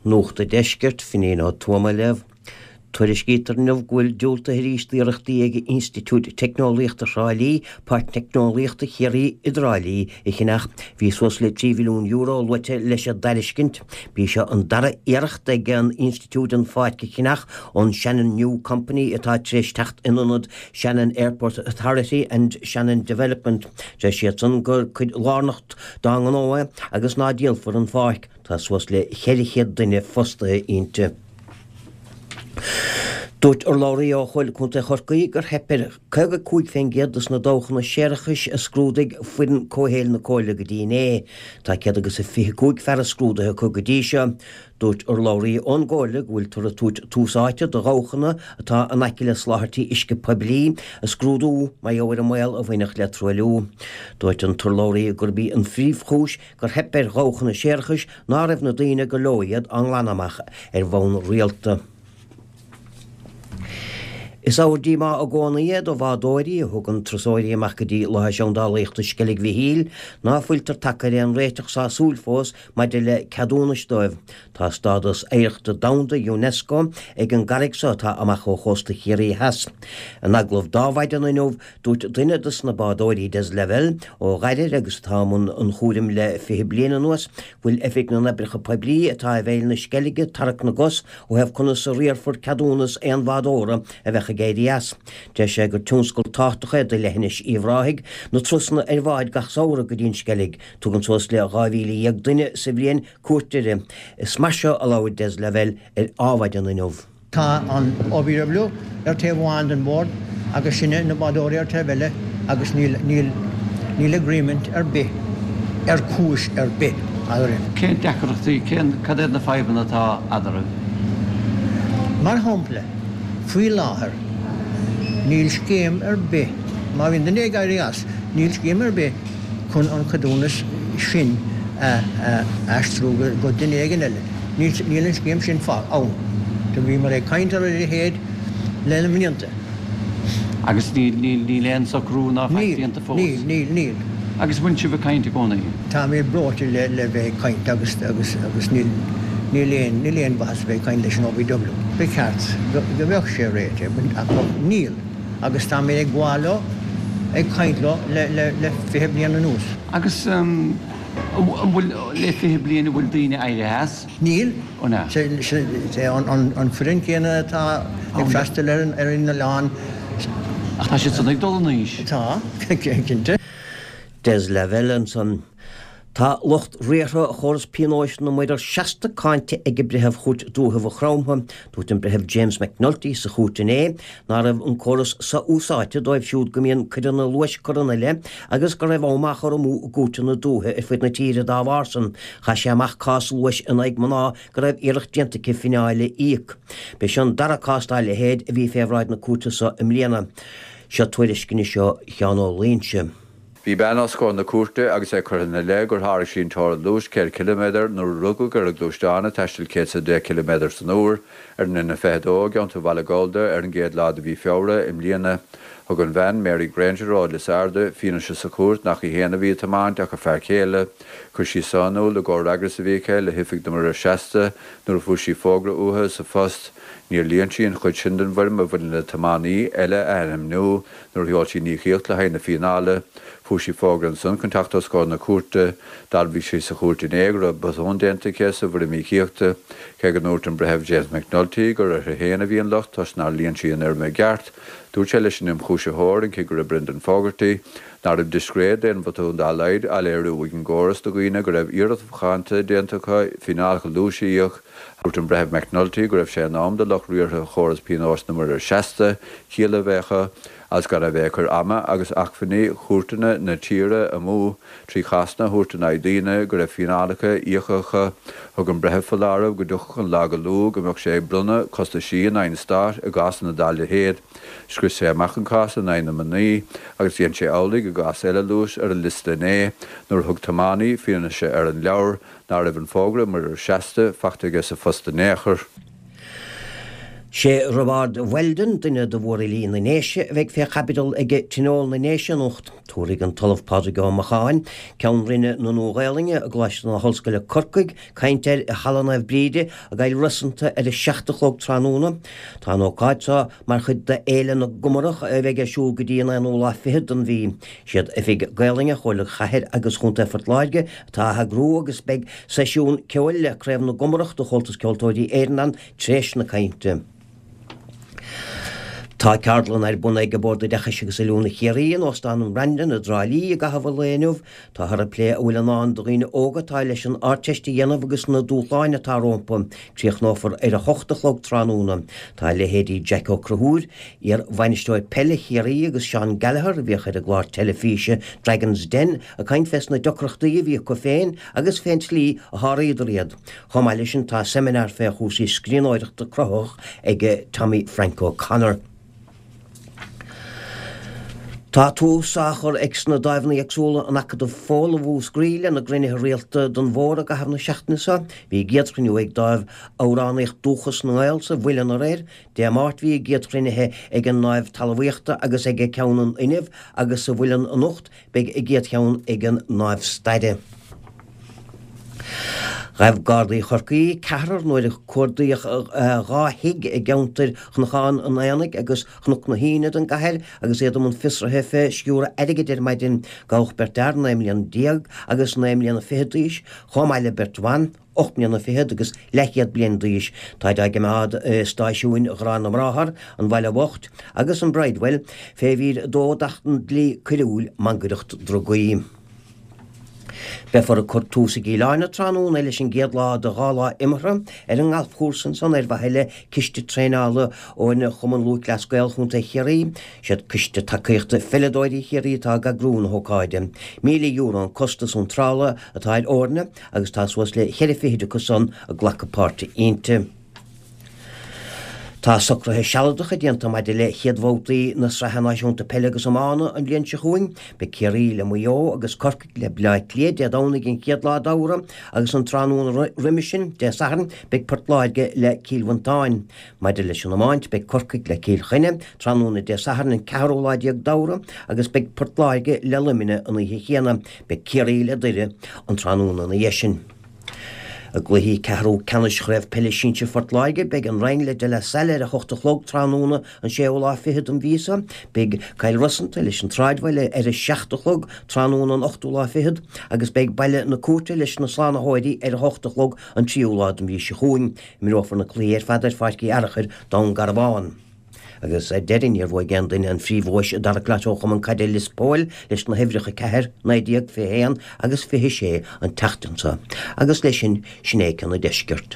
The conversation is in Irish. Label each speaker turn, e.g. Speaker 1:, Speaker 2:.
Speaker 1: Nuacht an Deiscirt, Finín Ó Tuama á léamh. Tuairiscítear inniu go bhfuil diúltaithe arís d'iarrachtaí ag Institiúid Teicneolaíochta Thrá Lí Páirc Teicneolaíochta Chiarraí i dTrá Lí a cheannach. Bhí suas le €3 mhilliún luaite leis an dtairiscint. B'í seo an dara iarracht ag an institiúid an pháirc a cheannach ón Shannon New Company atá tar éis teacht in ionad Shannon Airport Authority and Shannon Development. Deir siadsan gur cuid lárnach dá ngnó é agus ná díolfar an pháirc. Tá suas le 400 duine fostaithe inti. Dúirt urlabhraí ó Chomhairle Contae Chorcaí gur theip ar 55% dos na dabhchanna séarachais a scrúdaigh foireann comhshaoil na Comhairle go dtí inné. Tá 125 fearas scrúdaithe acu go dtí seo. Dúirt urlabhraí ón gComhairle go bhfuiltear ag tabhairt tús áite do dhabhchanna atá in aice le soláthairtí uisce poiblí a scrúdú mar gheall ar an mbaol a bhainfeadh le truailliú. Dúirt an t-urlabhraí gurb í an phríomhchúis gur theip ar dhabhchanna séarachais ná raibh na daoine gur leo iad á nglanadh amach ar bhonn rialta. Is ábhar díomá i gcónaí é do bhádóirí a thugann turasóirí amach go dtí láthair seandálaíochta Sceilg Mhichíl ná fuiltear tagtha ar aon réiteach sásúil fós maidir le ceadúnais dóibh. Tá stádas Oidhreachta Domhanda Unesco ag an gcarraig so atá amach ó chósta Chiarraí Theas. In agallamh d'Adhmhaidin inniu, Dúirt duine dos na bádóirí, Des Lavelle, ó Ghairire agus atá i mbun an chúraim le 20 bliain anuas, go bhfuil Oifig na nOibreacha Poiblí atá i bhfeighil na Sceilge ag tarrac na gcos ó thaobh conas a riarfar ceadúnas aon bhádóra a bheadh ag éirí as. Deir sé gur tionscal tábhachtach é do leithinis Uíbh Ráthaigh na turasanna ar bháid gach samhradh go dtí an Sceilg. Tugann suas le 12,000 duine sa bhliain cuairt uirthi. Is mar seo a labhair Des Lavelle ar Adhmhaidin inniu.
Speaker 2: Tá an OPW ar taobh amháin den bhord agus sinne na bádóirí ar taobh eile agus níl, níl, níl agreement ar bith ar cúis ar bith eadrainn.
Speaker 3: Cén deacrachtaí, cén, cad iad na fadhbanna atá eadraibh?
Speaker 2: Mar shampla, faoi láthair níl scéim ar bith, má bhíonn duine ag éirí as, níl scéim ar bith chun an ceadúnas sin a aistriú go duine éigin eile. Níl an scéim sin ann. Do bhíomar ag caint ar a leithéid le na mblianta.
Speaker 3: Agus níl aon socrú ná faic déanta fós?
Speaker 2: Níl, níl, níl.
Speaker 3: Agus an bhfuil sibh ag caint i gcónaí?
Speaker 2: Táimid breoite le bheith ag caint agus agus níl níl aon níl aon mhaitheas a bheith ag caint leis an OPW. Ba cheart go mbeadh sé réitithe ach níl agus táimid ag gabháil leo, ag caint leo le le le 20 bliain anuas.
Speaker 3: Agus An bhfuil, le 20 bliain, an bhfuil daoine éirithe as?
Speaker 2: Níl.
Speaker 3: An ea?
Speaker 2: Sé an foireann céanna atá ag freastal ar an oileán.
Speaker 3: Ach tá siad san ag dul in aois.
Speaker 2: Tá, cinnte.
Speaker 1: Des Lavelle ansan. Tá lucht riartha chóras pionóis na muirear seasta cáinte ag Breitheamh Chúirt Dúiche Mhaigh Chromtha. Dúirt an Breitheamh James McNulty sa chúirt inné ná raibh an córas so-úsáidte dóibh siúd go mbíonn coireanna luais curtha ina leith agus go raibh am á chur amú i gcúirteanna dúiche ar fud na tíre dá bharr san. Chaith sé amach cás luais in aghaidh mná go raibh iarracht déanta aici fineáil a íoc. B'é seo an dara cás dá leithéid a bhí fé bhráid na cúirte so i mbliana. Seo tuairisc anois ó Sheán Ó Loingsigh.
Speaker 4: Bhí bean os comhair na cúirte agus é curtha ina leith gur sháraigh sí an teorainn luais 100 ciliméadar nuair a rugadh ar an gluaisteán ag taisteal 110 ciliméadar san uair ar an N22 i gceantar Bhaile Gholda ar an gcéad lá de mhí Feabhra i mbliana. Thug an bhean, Mary Grainger ó Lios Arda, fianaise sa chúirt nach í féin a bhí ag tiomáint ach a fear céile. Chuir sí seo in iúl i gcomhfhreagras a bhí aici le hOifig na Muirear Seasta nuair a fuair sí fógra uathu sa phost. Níor líon sí an chuid sin den bhfoirm a bhaineann le tiománaí eile a ainmniú. Nuair a sheol sí an íocaíocht le haghaidh na fíneála, fuair sí fógra ansan chun teacht os comhair na cúirte. D'admhaigh sí sa chúirt inné go raibh botún déanta aici sa bhfoirm íocaíochta, cé go ndúirt an Breitheamh James McNulty gur uirthi féin a bhí an locht toisc nár líon sí an fhoirm i gceart. Dúirt sé leis an ionchúisitheoir, an Cigire Brendan Fogarty, nach raibh discréid d'aon bhotún dá laghad á léiriú ag an gcóras do dhaoine go raibh iarracht mhacánta déanta acu fíneálacha luais a íoc. Dúirt an Breitheamh McNulty go raibh sé in am do lucht riartha chóras pionóis na muirear seasta ciall a bheith acu agus gan a bheith ag cur ama agus acmhainní chúirteanna na tíre amú trí chásanna a thabhairt in aghaidh daoine go raibh fíneálacha íoctha acu. Thug an Breitheamh foláireamh go dtiocfadh an lá go luath go mbeadh sé ag bronnadh costaisí in aghaidh an Stáit i gcásanna dá leithéid. Scrios sé amach an cás in aghaidh na mnaoi agus dhein sé amhlaidh i gcás eile luais ar an liosta inné nuair a thug tiománaí fianaise ar an leabhar ná raibh an fógra muirir seasta faighte aige sa phost in aon chor.
Speaker 1: Sé Roibeárd Weldon, duine de mhórfhilí na nDéise, a bheidh fé chaibidil ag Tionól na nDéise anocht. Tabharfaidh an tOllamh Pádraig Ó Macháin, Ceann Roinne na Nua-Ghaelainne i gColáiste na hOllscoile Corcaigh, caint air i Halla Naomh Bríde i gCill Rosanta ar a 7 a chlog tráthnóna. Tá an ócáid seo mar chuid de Fhéile na gComarach a bheidh ar siúl go dtí an aonú lá fichead den mhí. Siad Oifig Gaelainne Chomhairle Chathair agus Chontae Phort Láirge atá á heagrú agus beidh seisiún ceoil le Craobh na gComarach de Chomhaltas Ceoltóirí Éireann ann Tréis na cainte. Tá ceardlann ar bun ag Bord Oideachais agus Oiliúna Chiarraí in Óstán an Brandon i dTrá Lí i gcaitheamh an lae inniu. Táthar ag plé a bhfuil i ndán do dhaoine óga atá leis an Ardteist a dhéanamh agus na dúshláin atá rompu. Críochnófar ar a hocht a chlog tráthnóna. Tá leithéidí Jack Ó Conchúir, iar-bhainisteoir peile Chiarraí agus Seán Gallagher a bhíodh ar an gclár teilifíse Dragons Den ag caint fés na deacrachtaí a bhí acu féin agus fén tslí a sháraíodar iad. Chomh maith leis sin tá seimineár fé chúrsaí scríbhneoireachta cruthaitheach ag Tommy Frank O'Connor. Tá tús á chur ag sna dáimheanna éagsúla in Acadamh Fódhla Mhúscraí lena gcruinnithe rialta don bhfómhar i gcaitheamh na seachtaine seo. Bhí a gcéad chruinniú ag dáimh Amhránaíocht Dúchas na nGael sa Mhuileann aréir. Dé Máirt bhí a gcéad chruinnithe ag an ndáimh Talmhaíochta agus ag ceann an Fhuinnimh agus sa Mhuileann anocht Beidh a gcéad cheann ag an ndáimh Staire. Ghabh Gardaí Chorcaí ceathrar nuair a cuardaíodh 2 thigh i gceantair Chnocán an Aonaigh agus Chnoc na hAoine den gcathair agus iad i mbun fiosraithe fé sciúradh airgid ar maidin. Gabhadh beirt fhear 19 mbliana agus 9 mbliana fichead d'aois, chomh maith le beirt bhan. 8 mbliana fichead agus leathchéad bliain d'aois. Táid á gcimeád i stáisiúin Ghrá na mBráthar, an Bhaile Bhoicht agus an Bridewell fé mhír 2 d'Acht an Dlí Coiriúil, Mangaireacht Drugaí. Beifear ag cur tús i gCill Airne tráthnóna leis an gcéad lá de dhá lá imeartha ar an ngalfchúrsa ansan ar mhaithe le ciste traenála fhoirne Chumann Lúthchleas Gael Chontae Chiarraí. Siad Coiste Tacaíochta Pheileadóirí Chiarraí atá ag eagrú na hócáide. €1,000 an costas iontrála atá ar fhoirne agus tá suas le cheithre fichid acu san ag glacadh páirte inti. Tá socruithe sealadacha déanta maidir le chéad bhabhtaí na Sraithe Náisiúnta Peile agus Iomána an bhliain seo chugainn. Beidh Ciarraí le Maigh Eo agus Corcaigh le Baile Átha Cliath Dé Domhnaigh an chéad lá d'Fheabhra agus an tráthnóna roimhe sin, Dé Sathairn, beidh Port Láirge le Cill Mhantáin. Maidir leis an iomáint, beidh Corcaigh le Cill Chainnigh tráthnóna Dé Sathairn an ceathrú lá déag d'Fheabhra agus beidh Port Láirge le Luimneach an oíche chéanna. Beidh Ciarraí le Doire an tráthnóna ina dhiaidh sin. I gcluichí ceathrú ceannais Chraobh Peile Sinsir Phort Láirge, beidh an Rinn le De La Salle ar a hocht a chlog tráthnóna an séú lá fichead den mhí seo. Beidh Cill Rosanta leis an tSráidbhaile ar a seacht a chlog tráthnóna an ochtú lá fichead agus beidh Baile na Cúirte leis na Slánaitheoirí ar a hocht a chlog an tríú lá den mhí seo chugainn. Imreofar na cluichí ar fad ar Pháirc Uí Fhearachair, Dún Garbhán. Agus ar deireadh, níor bhuaigh aon duine an phríomhdhuais i dtarrac Lotto Chumann Caide Lios Póil leis na huimhreacha 4, 19, 21 agus 26 an tseachtain seo. Agus leis sin, sin é ceann an deiscirt.